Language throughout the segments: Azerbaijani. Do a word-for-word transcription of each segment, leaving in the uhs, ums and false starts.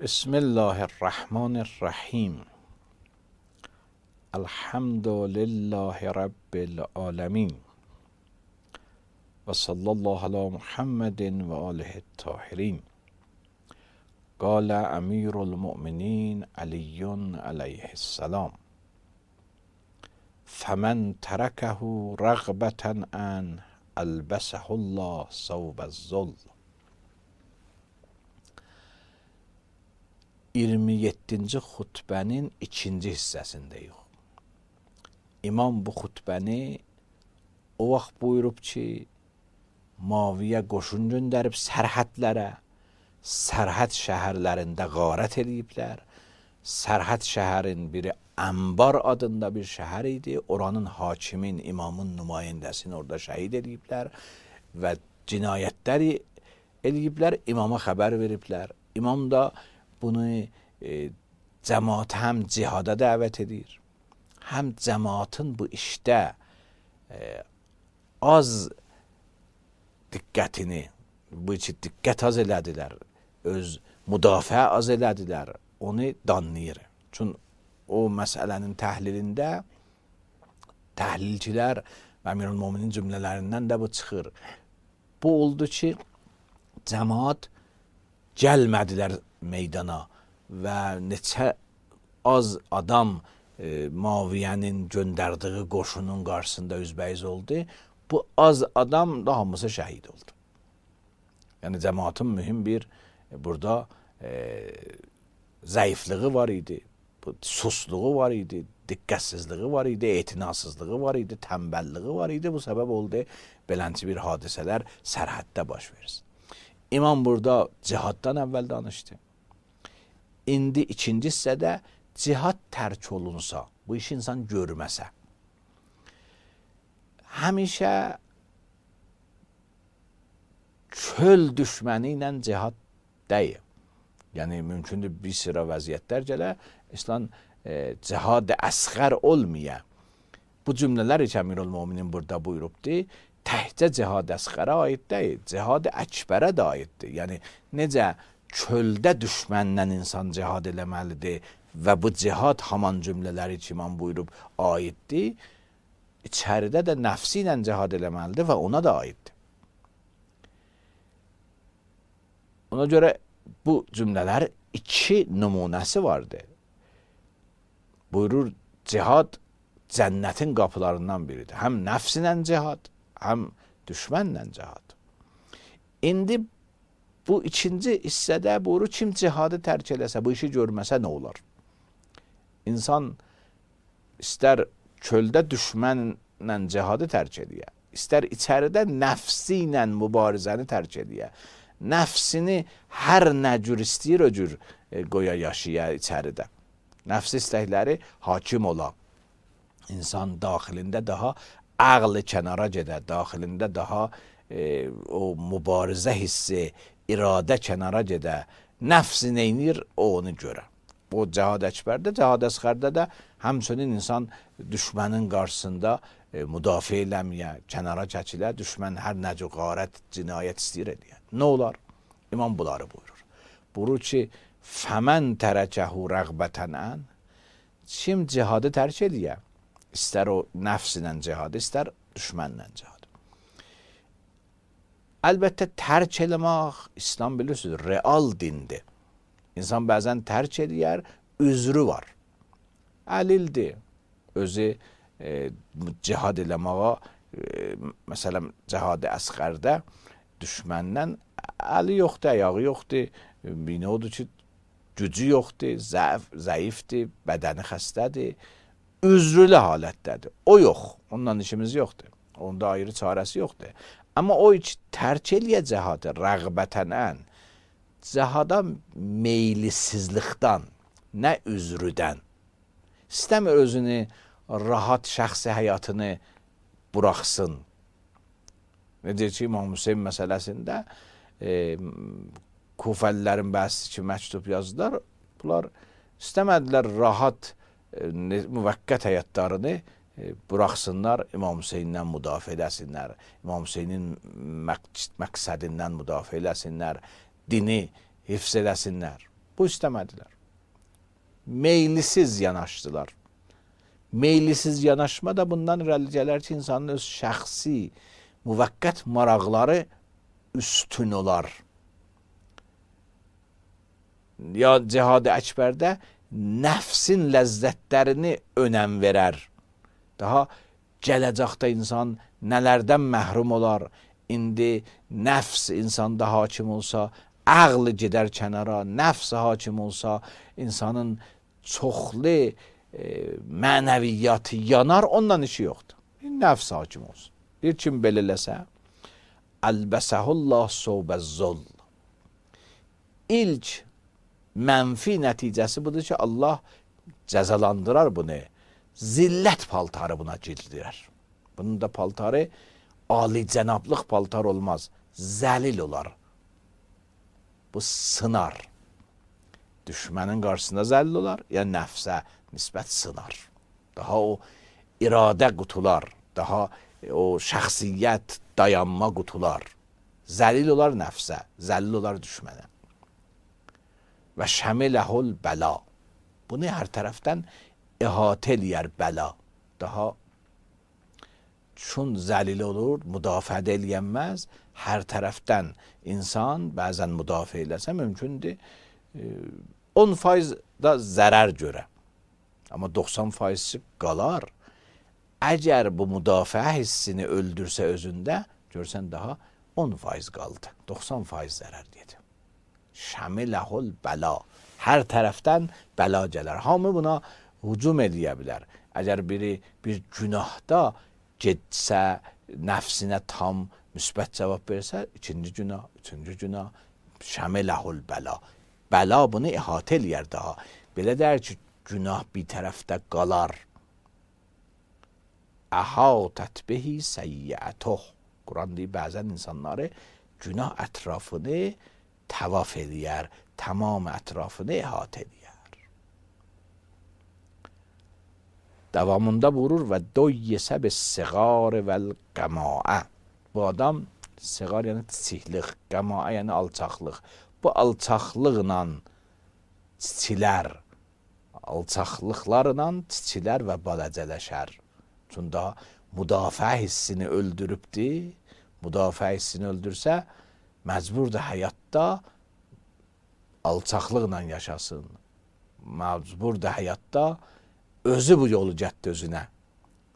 بسم الله الرحمن الرحیم. الحمد لله رب العالمین و صلی الله علی محمد و آله الطاهرین. قال امیر المؤمنین علی علیه السلام: فمن ترکه رغبة ان البسه الله ثوب الذل. iyirmi yeddinci xutbənin ikinci hissəsindəyik. İmam bu xutbəni o vaxt buyurub ki, Muaviyə qoşun göndərib sərhədlərə, sərhəd şəhərlərində qarət ediblər. Sərhəd şəhərin biri Ənbar adında bir şəhər idi. Oranın hakimin, imamın nümayəndəsini orada şəhid ediblər və cinayətləri ediblər. İmama xəbər veriblər. İmam da bunu e, cəmaat həm cihada dəvət edir, həm cəmaatın bu işdə e, az diqqətini, bu için diqqət az elədilər, öz müdafiə az elədilər, onu danlayır. Çünki o məsələnin təhlilində təhlilçilər və Əmirülmöminin cümlələrindən də bu çıxır. Bu oldu ki, cəmaat gəlmədilər meydana və neçə az adam e, Muaviyyənin göndərdiyi qoşunun qarşısında üzbəyiz oldu. Bu az adam da hamısı şəhid oldu. Yəni cəmaatın mühüm bir e, burada e, zəifliği var idi, bu, susluğu var idi, diqqətsizliği var idi, etinasızlığı var idi, tənbəlliği var idi. Bu səbəb oldu belənçi bir hadisələr sərhəddə baş versin. İmam burada cihaddan əvvəl danışdı. İndi ikinci hissədə cihad tərk olunsa, bu işi insan görməsə, həmişə çöl düşməni ilə cihad deyil. Yəni, mümkündür bir sıra vəziyyətlər gələ, İslam e, cihad-ı əsğər olmaya. Bu cümlələr heç Əmirülmöminin burada buyurubdur. Təhcə cihad-ı əsğərə aid deyil, cihad-ı əkbərə də aiddir. Yəni, necə çöldə düşmənlə insan cihad eləməlidir və bu cihad haman cümlələri ki, imam buyurub aiddir, içəridə də nəfsi ilə cihad eləməlidir və ona da aiddir. Ona görə bu cümlələr iki nümunəsi vardır. Buyurur, cihad cənnətin qapılarından biridir. Həm nəfsinlə cihad, həm düşmənlə cihad. İndi bu ikinci hissədə buyurur, kim cihadı tərk eləsə, bu işi görməsə nə olar? İnsan istər çöldə düşmənlə cihadı tərk eləyə, istər içəridə nəfsi ilə mübarizəni tərk eləyə, nəfsini hər nə cür istəyir o cür e, qoya yaşaya içəridə. Nəfsi istəkləri hakim ola. İnsan daxilində daha ağlı kənara gedə, daxilində daha e, o mübarizə hissi, iradə kənara gedə, nəfsi neynir, o onu görə. O cihad əkbərdə, cihad əsğərdə də həmçinin insan düşmənin qarşısında e, müdafiə eləməyə, kənara çəkilə, düşmən hər nəcə qarət, cinayət istəyir edə. Nə olar? İmam bunları buyurur. Buyurur ki, fəmən tərəkəhu rəğbətənən, kim cihadı tərk eləyə, istər o nəfsinlə cihadı, istər düşmənlə cihadı. Əlbəttə, tərk eləmək, İslam bilirsiniz, real dindir. İnsan bəzən tərk eləyər, üzrü var. Əlildir. Özü e, cihad eləməyə, e, məsələn, cihad-ı əsğərdə düşməndən əli yoxdur, ayağı yoxdur, bini odur ki, gücü yoxdur, zəif, zəifdir, bədəni xəstədir, üzrülü halətdədir. O yox, ondan işimiz yoxdur. Onda ayrı çarəsi yoxdur. Amma o hiç tərk eləyə cihadı rəğbətənən, cihada meylisizlikdən, nə üzrüdən, istəmir özünü rahat şəxsi həyatını buraxsın. Necə ki, İmam Hüseyin məsələsində e, Kufəlilərin bəzi ki, məktub yazdılar, bunlar istəmədilər rahat e, müvəqqət həyatlarını E, buraxsınlar, İmam Hüseynindən müdafiə eləsinlər, İmam Hüseynin məqsədindən müdafiə eləsinlər, dini hifz eləsinlər. Bu istəmədilər. Meylisiz yanaşdılar. Meylisiz yanaşma da bundan irəli gələr ki, insanın öz şəxsi, müvəqqət maraqları üstün olar. Ya cihad-ı əkbərdə nəfsin ləzzətlərini önəm verər. Daha gələcəkdə insan nələrdən məhrum olar? İndi nəfs insanda hakim olsa, ağlı gedər kənara, nəfs hakim olsa, insanın çoxlu e, mənəviyyatı yanar, ondan işi yoxdur. Nəfs hakim olsun. Bir kim belirləsə, əlbəsəhullah sobəzzol. İlk mənfi nəticəsi budur ki, Allah cəzalandırar bunu. Zillət paltarı buna gildirər. Bunun da paltarı alicənablıq paltar olmaz. Zəlil olar. Bu sınar. Düşmənin qarşısında zəlil olar, ya nəfsə nisbət sınar. Daha o iradə qutular, daha o şəxsiyyət dayanma qutular. Zəlil olar nəfsə, zəlil olar düşmənə. Və şəmiləhul bəla. Bunu hər tərəfdən əhatə eləyər bəla. Daha çün zəlil olur, müdafiə eləyənməz, hər tərəfdən insan bəzən müdafiə eləsə mümkündür. on faiz da zərər görə. Amma doxsan faizi qalar. Əgər bu müdafiə hissini öldürsə özündə, görsən daha on faiz qaldı. doxsan faiz zərər deyəcək. Şəmiləhul bəla. Hər tərəfdən bəla gələr. Hamı buna hücum eləyə bilər. Əgər biri bir günahda getsə, nəfsinə tam müsbət cavab versə, ikinci günah, üçüncü günah, şəmiləhul bəla. Bəla bunu əhatə eləyər daha. Belə deyər ki, günah bir tərəfdə qalar. Əhatət bihi səyyətuh. Quran deyir, bəzən insanları günah ətrafını təvaf eləyər, tamam ətrafını əhatə eləyər. Davamında vurur və doyyesə bis siğar vəl qəmaə. Bu adam, siğar yəni kiçiklik, qəmaə yəni alçaqlıq. Bu alçaqlıqla çiçilər, alçaqlıqlarla çiçilər və balacələşər. Çünki müdafiə hissini öldürübdür. Müdafiə hissini öldürsə, məcburdur həyatda alçaqlıqla yaşasın. Məcburdur həyatda özü bu yolu gətdi özünə.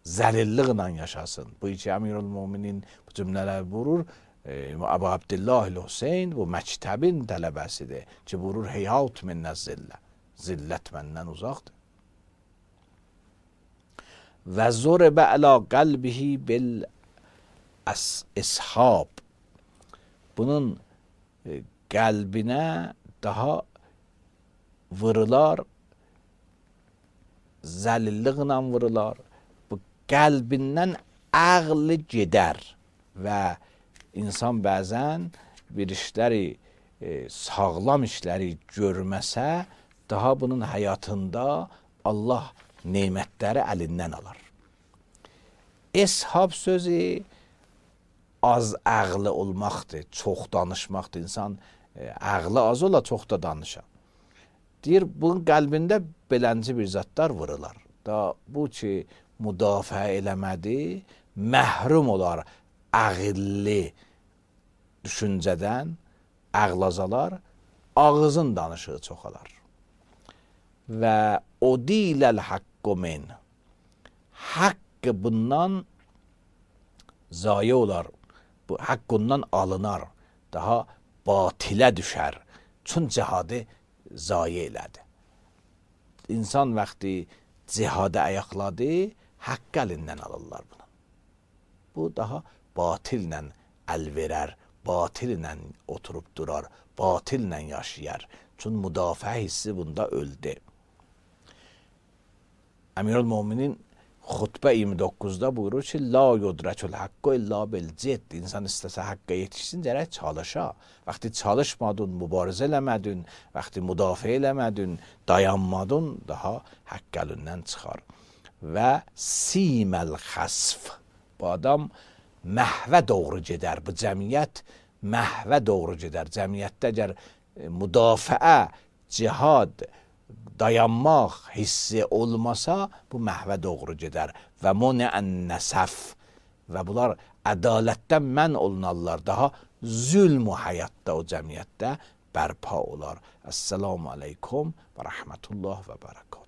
Zəlilliklə yaşasın. Bu iki Əmirül Müminin bu cümlələr vurur. Əbu Abdillah Hüseyn bu məktəbin tələbəsidir ki, vurur heyhat minnə zillə. Zillət məndən uzaqdır. Və zuribə əla qəlbihi bil ishab. Bunun qəlbinə daha vırılar, zəlilliklə vırılar. Bu qəlbindən ağlı gedər və insan bəzən bir işləri, e, sağlam işləri görməsə, daha bunun həyatında Allah nemətləri əlindən alar. Eshab sözü az ağlı olmaqdır, çox danışmaqdır. İnsan e, ağlı az ola, çox da danışa. Deyir, bunun qəlbində belənci bir zatlar vırılar. Da bu ki, müdafiə eləmədi, məhrum olar ağıllı düşüncədən, ağlazalar, ağızın danışığı çoxalar. Və o diləl haqqı min. Haqqı bundan zayi olar, bu haqqından alınar, daha batilə düşər. Çün cihadı zayi elədi. İnsan vaxtı cihadı ayaqladı, haqqı əlindən alırlar bunu. Bu daha batillə əl verər, batillə oturub durar, batillə yaşayar. Çün müdafiə hissi bunda öldü. Əmirül Müminin xutbə iyirmi doqquzda buyurur ki, la yudrəkül haqqı illa bil cidd. İnsan istəsə haqqa yetişsin, gərək çalışa. Vaxtı çalışmadın, mübarizə eləmədin, vaxtı müdafiə eləmədin, dayanmadın, daha haqq əlindən çıxar. Və siməl xasf. Bu adam məhvə doğru gedər. Bu cəmiyyət məhvə doğru gedər. Cəmiyyətdə əgər müdafiə cihad, dayanmaq hissi olmasa bu məhvə doğru gedər və munəən nəsəf və bunlar ədalətdən mən olunarlar, daha zülm həyatda o cəmiyyətdə bərpa olar. Əssalamu aleykum və rəhmətullah və bərəkət.